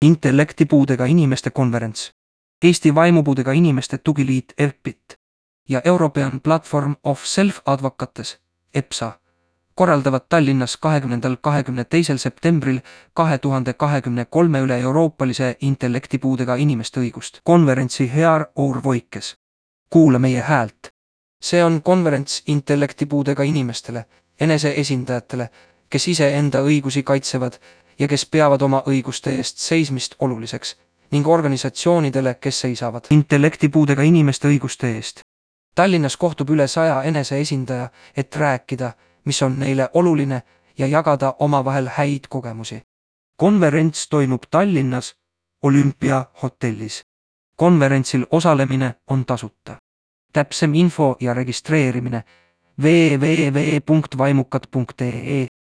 Intellektipuudega inimeste konverents, Eesti Vaimupuudega Inimeste Tugiliit ERPIT ja European Platform of Self-Advocates EPSA korraldavad Tallinnas 20.–22. septembril 2023 üle-euroopalise intellektipuudega inimeste õigust konverentsi Hear Our Voices. Kuula meie häält. See on konverents intellektipuudega inimestele, eneseesindajatele, kes ise enda õigusi kaitsevad ja kes peavad oma õiguste eest seismist oluliseks, ning organisatsioonidele, kes seisavad intellektipuudega inimeste õiguste eest. Tallinnas kohtub üle 100 eneseesindaja, et rääkida, mis on neile oluline ja jagada omavahel häid kogemusi. Konverents toimub Tallinnas Olümpia hotellis. Konverentsil osalemine on tasuta. Täpsem info ja registreerimine www.vaimukad.ee